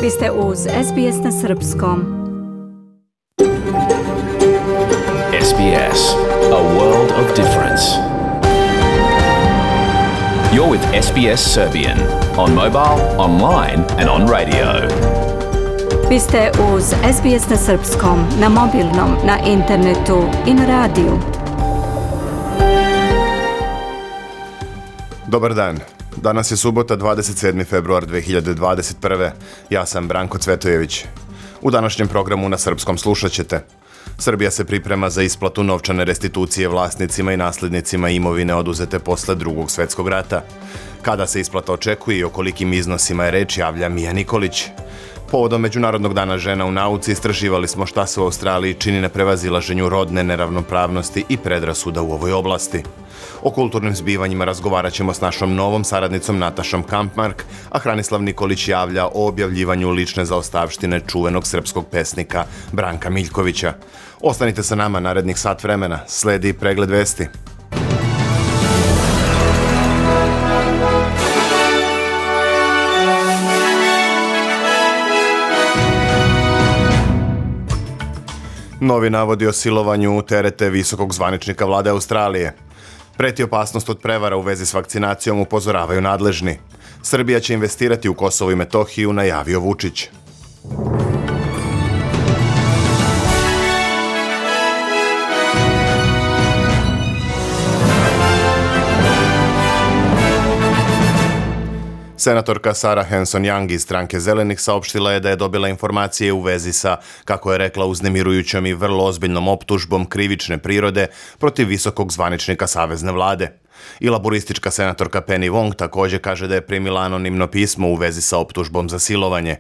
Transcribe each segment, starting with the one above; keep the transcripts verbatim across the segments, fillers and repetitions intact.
Vi ste uz S B S na srpskom. S B S, a world of difference. You're with S B S Serbian on mobile, online and on radio. Vi ste uz S B S na srpskom, na mobilnom, na internetu i na radiju. Dobar dan. Danas je subota, dvadeset sedmi februar dve hiljade dvadeset prve. Ja sam Branko Cvetojević. U današnjem programu na srpskom slušat ćete. Srbija se priprema za isplatu novčane restitucije vlasnicima i nasljednicima imovine oduzete posle Drugog svjetskog rata. Kada se isplata očekuje i o kolikim iznosima je reč, javlja Mija Nikolić. Povodom Međunarodnog dana žena u nauci istraživali smo šta se u Australiji čini na prevazilaženju rodne neravnopravnosti i predrasuda u ovoj oblasti. O kulturnim zbivanjima razgovarat ćemo s našom novom saradnicom Natašom Kampmark, a Hranislav Nikolić javlja o objavljivanju lične zaostavštine čuvenog srpskog pesnika Branka Miljkovića. Ostanite sa nama narednih sat vremena, sledi pregled vesti. Novi navodi o silovanju terete visokog zvaničnika vlade Australije. Preti opasnost od prevara u vezi s vakcinacijom, upozoravaju nadležni. Srbija će investirati u Kosovo i Metohiju, najavio Vučić. Senatorka Sarah Hanson-Young iz stranke Zelenih saopštila je da je dobila informacije u vezi sa, kako je rekla, uznemirujućom i vrlo ozbiljnom optužbom krivične prirode protiv visokog zvaničnika savezne vlade. I laboristička senatorka Penny Wong također kaže da je primila anonimno pismo u vezi sa optužbom za silovanje.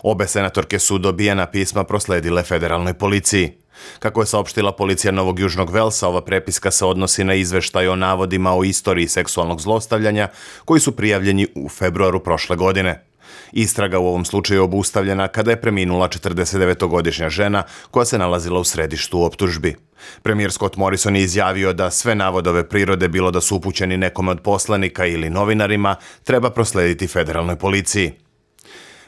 Obe senatorke su dobijena pisma prosledile federalnoj policiji. Kako je saopštila policija Novog Južnog Velsa, ova prepiska se odnosi na izveštaj o navodima o istoriji seksualnog zlostavljanja koji su prijavljeni u februaru prošle godine. Istraga u ovom slučaju je obustavljena kada je preminula četrdesetdevetogodišnja žena koja se nalazila u središtu optužbi. Premijer Scott Morrison je izjavio da sve navodove prirode, bilo da su upućeni nekome od poslanika ili novinarima, treba proslediti federalnoj policiji.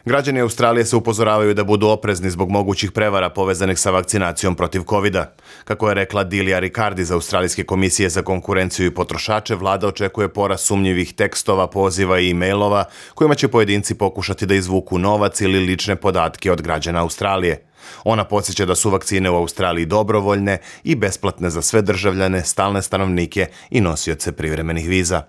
Građani Australije se upozoravaju da budu oprezni zbog mogućih prevara povezanih sa vakcinacijom protiv kovida. Kako je rekla Dilija Ricardi iz Australijske komisije za konkurenciju i potrošače, vlada očekuje porast sumnjivih tekstova, poziva i e-mailova kojima će pojedinci pokušati da izvuku novac ili lične podatke od građana Australije. Ona podsjeća da su vakcine u Australiji dobrovoljne i besplatne za sve državljane, stalne stanovnike i nosioce privremenih viza.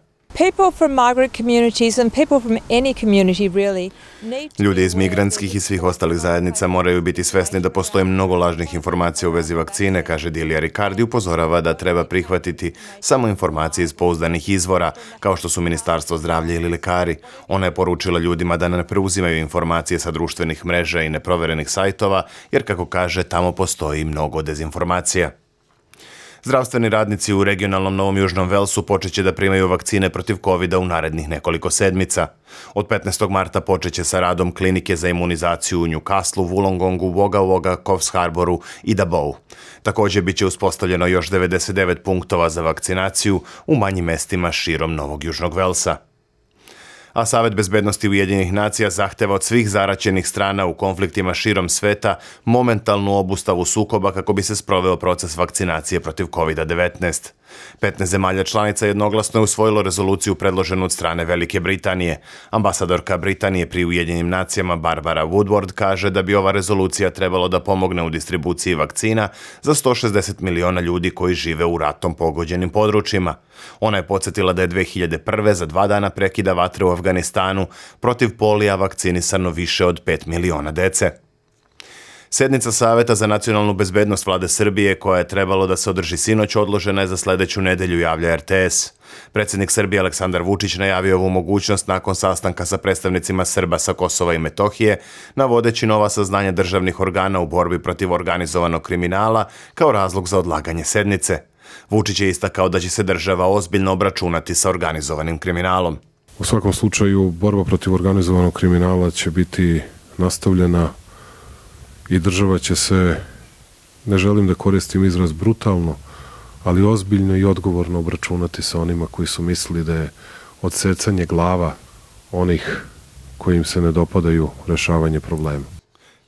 Ljudi iz migrantskih i svih ostalih zajednica moraju biti svesni da postoji mnogo lažnih informacija u vezi vakcine, kaže Dilija Ricardi, upozorava da treba prihvatiti samo informacije iz pouzdanih izvora, kao što su Ministarstvo zdravlja ili lekari. Ona je poručila ljudima da ne preuzimaju informacije sa društvenih mreža i neproverenih sajtova, jer, kako kaže, tamo postoji mnogo dezinformacija. Zdravstveni radnici u regionalnom Novom Južnom Velsu počeće da primaju vakcine protiv kovida u narednih nekoliko sedmica. Od petnaestog marta počeće sa radom klinike za imunizaciju u Newcastlu, Wollongongu, Wagga Wagga, Coffs Harboru i Dabou. Također biće uspostavljeno još devedeset devet punktova za vakcinaciju u manjim mestima širom Novog Južnog Velsa. A Savet bezbednosti Ujedinjenih nacija zahteva od svih zaraćenih strana u konfliktima širom sveta momentalnu obustavu sukoba kako bi se sproveo proces vakcinacije protiv kovida devetnaest. petnaest zemalja članica jednoglasno je usvojilo rezoluciju predloženu od strane Velike Britanije. Ambasadorka Britanije pri Ujedinjenim nacijama Barbara Woodward kaže da bi ova rezolucija trebalo da pomogne u distribuciji vakcina za sto šezdeset miliona ljudi koji žive u ratom pogođenim područjima. Ona je podsjetila da je dve hiljade prve za dva dana prekida vatre u Afganistanu protiv polija vakcinisano više od pet miliona dece. Sednica Saveta za nacionalnu bezbednost vlade Srbije, koja je trebalo da se održi sinoć, odložena je za sledeću nedelju, javlja R T S. Predsjednik Srbije Aleksandar Vučić najavio ovu mogućnost nakon sastanka sa predstavnicima Srba sa Kosova i Metohije, navodeći nova saznanja državnih organa u borbi protiv organizovanog kriminala kao razlog za odlaganje sednice. Vučić je istakao da će se država ozbiljno obračunati sa organizovanim kriminalom. U svakom slučaju, borba protiv organizovanog kriminala će biti nastavljena i država će se, ne želim da koristim izraz brutalno, ali ozbiljno i odgovorno obračunati sa onima koji su mislili da je odsecanje glava onih koji im se ne dopadaju rešavanje problema.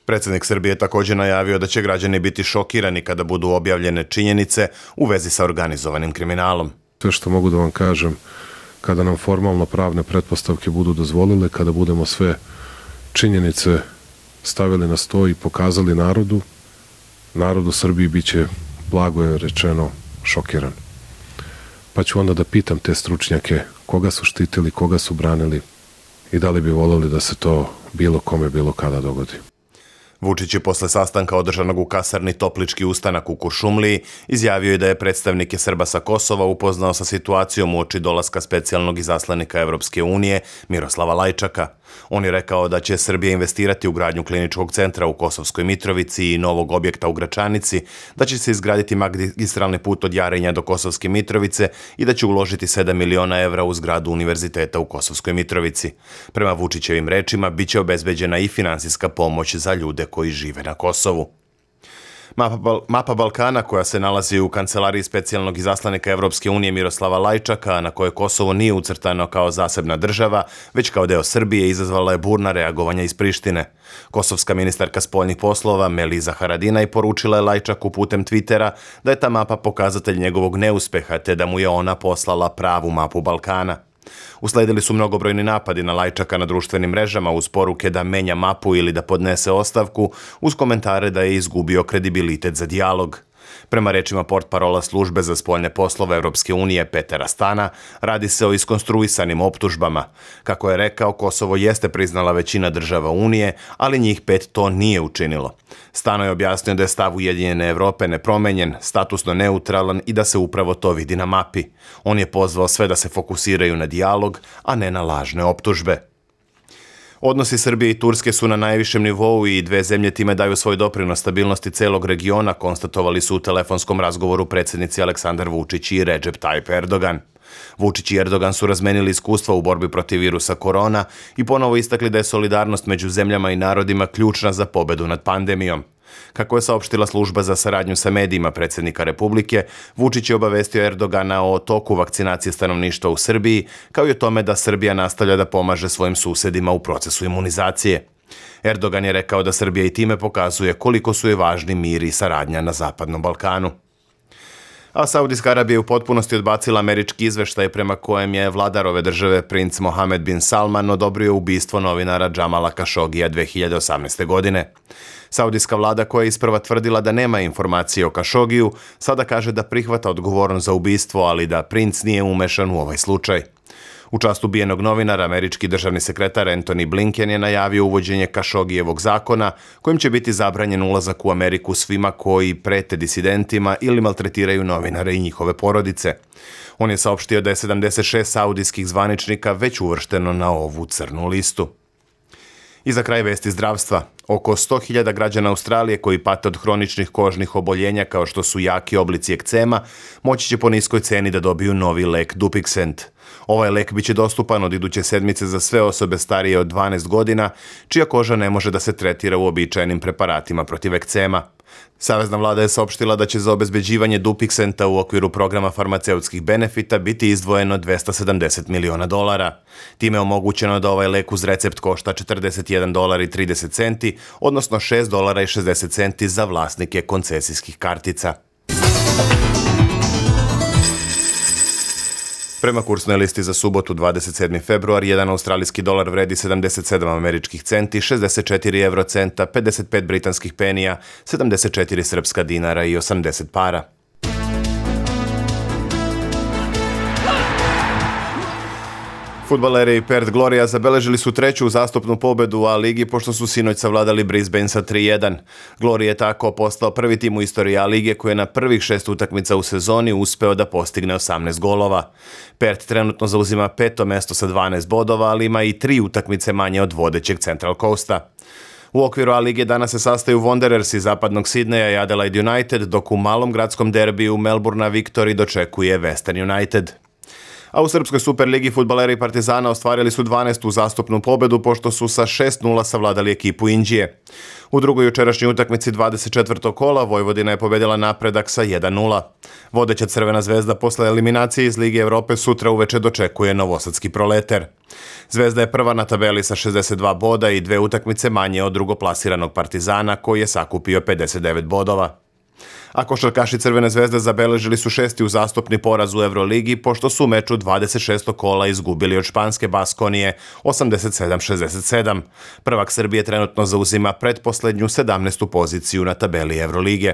Predsjednik Srbije je također najavio da će građani biti šokirani kada budu objavljene činjenice u vezi sa organizovanim kriminalom. Sve što mogu da vam kažem, kada nam formalno pravne pretpostavke budu dozvolile, kada budemo sve činjenice stavili na sto i pokazali narodu, narod u Srbiji bit će, blago je rečeno, šokiran. Pa ću onda da pitam te stručnjake koga su štitili, koga su branili i da li bi voljeli da se to bilo kome, bilo kada dogodi. Vučić je posle sastanka održanog u kasarni Toplički ustanak u Kuršumliji izjavio je da je predstavnike Srba sa Kosova upoznao sa situacijom uoči dolaska specijalnog izaslanika Evropske unije Miroslava Lajčaka. On je rekao da će Srbija investirati u gradnju kliničkog centra u Kosovskoj Mitrovici i novog objekta u Gračanici, da će se izgraditi magistralni put od Jarinja do Kosovske Mitrovice i da će uložiti sedam miliona evra u zgradu univerziteta u Kosovskoj Mitrovici. Prema Vučićevim rečima, bit će obezbeđena i finansijska pomoć za ljude koji žive na Kosovu. Mapa, mapa Balkana koja se nalazi u kancelariji specijalnog izaslanika Evropske unije Miroslava Lajčaka, na kojoj Kosovo nije ucrtano kao zasebna država, već kao deo Srbije, izazvala je burna reagovanja iz Prištine. Kosovska ministarka spoljnih poslova Meliza Haradinaj poručila je Lajčaku putem Twittera da je ta mapa pokazatelj njegovog neuspeha te da mu je ona poslala pravu mapu Balkana. Usledili su mnogobrojni napadi na Lajčaka na društvenim mrežama uz poruke da menja mapu ili da podnese ostavku, uz komentare da je izgubio kredibilitet za dijalog. Prema rečima portparola službe za spoljne poslove Evropske unije Petera Stana, radi se o iskonstruisanim optužbama. Kako je rekao, Kosovo jeste priznala većina država Unije, ali njih pet to nije učinilo. Stano je objasnio da je stav Ujedinjene Evrope nepromenjen, statusno neutralan i da se upravo to vidi na mapi. On je pozvao sve da se fokusiraju na dijalog, a ne na lažne optužbe. Odnosi Srbije i Turske su na najvišem nivou i dve zemlje time daju svoj doprinos stabilnosti celog regiona, konstatovali su u telefonskom razgovoru predsjednici Aleksandar Vučić i Recep Tayyip Erdogan. Vučić i Erdogan su razmenili iskustva u borbi protiv virusa korona i ponovo istakli da je solidarnost među zemljama i narodima ključna za pobedu nad pandemijom. Kako je saopštila služba za saradnju sa medijima predsjednika Republike, Vučić je obavestio Erdogana o toku vakcinacije stanovništva u Srbiji, kao i o tome da Srbija nastavlja da pomaže svojim susedima u procesu imunizacije. Erdogan je rekao da Srbija i time pokazuje koliko su je važni mir i saradnja na Zapadnom Balkanu. A Saudijska Arabija je u potpunosti odbacila američki izveštaj prema kojem je vladar ove države, princ Mohamed bin Salman, odobrio ubistvo novinara Džamala Kašogija dve hiljade osamnaeste. godine. Saudijska vlada, koja je isprva tvrdila da nema informacije o Kašogiju, sada kaže da prihvata odgovornost za ubistvo, ali da princ nije umešan u ovaj slučaj. U čast ubijenog novinara, američki državni sekretar Antony Blinken je najavio uvođenje Kašogijevog zakona, kojim će biti zabranjen ulazak u Ameriku svima koji prete disidentima ili maltretiraju novinare i njihove porodice. On je saopštio da je sedamdeset šest saudijskih zvaničnika već uvršteno na ovu crnu listu. I za kraj vesti zdravstva. Oko sto hiljada građana Australije koji pate od hroničnih kožnih oboljenja kao što su jaki oblici ekcema, moći će po niskoj ceni da dobiju novi lek Dupixent. Ovaj lek biće dostupan od iduće sedmice za sve osobe starije od dvanaest godina, čija koža ne može da se tretira uobičajenim preparatima protiv ekcema. Savezna vlada je saopštila da će za obezbeđivanje Dupixenta u okviru programa farmaceutskih benefita biti izdvojeno dvesta sedamdeset miliona dolara. Time je omogućeno da ovaj lek uz recept košta četrdeset jedan dolar i trideset centi, odnosno šest dolara i šezdeset centi za vlasnike koncesijskih kartica. Prema kursnoj listi za subotu dvadeset sedmi februar, jedan australijski dolar vredi sedamdeset sedam američkih centi, šezdeset četiri evrocenta, pedeset pet britanskih penija, sedamdeset četiri srpska dinara i osamdeset para. Fudbaleri Perth Gloria zabeležili su treću uzastopnu pobedu u A ligi pošto su sinoć savladali Brisbane sa tri jedan. Gloria je tako postao prvi tim u istoriji A lige koji je na prvih šest utakmica u sezoni uspeo da postigne osamnaest golova. Perth trenutno zauzima peto mesto sa dvanaest bodova, ali ima i tri utakmice manje od vodećeg Central Coasta. U okviru A lige danas se sastaju Wanderers iz zapadnog Sidneja i Adelaide United, dok u malom gradskom derbiju Melbourna Victory dočekuje Western United. A u Srpskoj Superligi fudbaleri Partizana ostvarili su dvanaestu uzastopnu pobedu pošto su sa šest nula savladali ekipu Inđije. U drugoj jučerašnjoj utakmici dvadeset četvrtog kola Vojvodina je pobedila Napredak sa jedan nula. Vodeća Crvena zvezda posle eliminacije iz Lige Evrope sutra uveče dočekuje novosadski Proleter. Zvezda je prva na tabeli sa šezdeset dva boda i dve utakmice manje od drugoplasiranog Partizana koji je sakupio pedeset devet bodova. A košarkaši Crvene zvezde zabeležili su šesti uzastopni poraz u Evroligi pošto su u meču dvadeset šestog kola izgubili od španske Baskonije osamdeset sedam šezdeset sedam. Prvak Srbije trenutno zauzima pretposlednju sedamnaestu poziciju na tabeli Evrolige.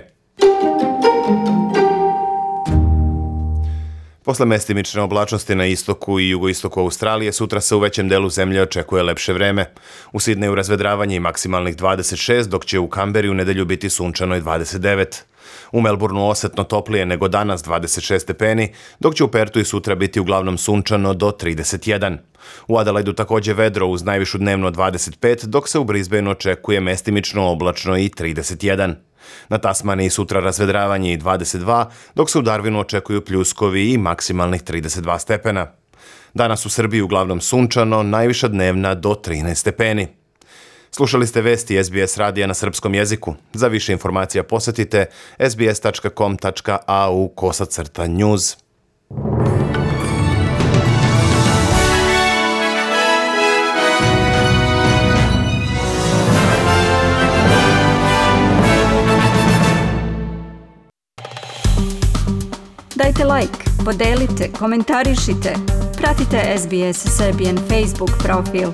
Posle mestimične oblačnosti na istoku i jugoistoku Australije, sutra se u većem delu zemlje očekuje lepše vreme. U Sidneju razvedravanje i maksimalnih dvadeset šest, dok će u Kamberi u nedelju biti sunčano i dvadeset devet. U Melbourneu osetno toplije nego danas dvadeset šest stepeni, dok će u Pertu i sutra biti uglavnom sunčano do trideset jedan. U Adelaidu također vedro uz najvišu dnevno dvadeset pet, dok se u Brisbaneu očekuje mestimično oblačno i trideset jedan. Na Tasmaniji sutra razvedravanje i dvadeset dva, dok se u Darwinu očekuju pljuskovi i maksimalnih trideset dva stepena. Danas u Srbiji uglavnom sunčano, najviša dnevna do trinaest stepeni. Slušali ste vesti S B S radija na srpskom jeziku. Za više informacija posetite sbs tačka com tačka a u kosacrta news. Dajte like, podelite, komentarišite, pratite S B S Serbian Facebook profil.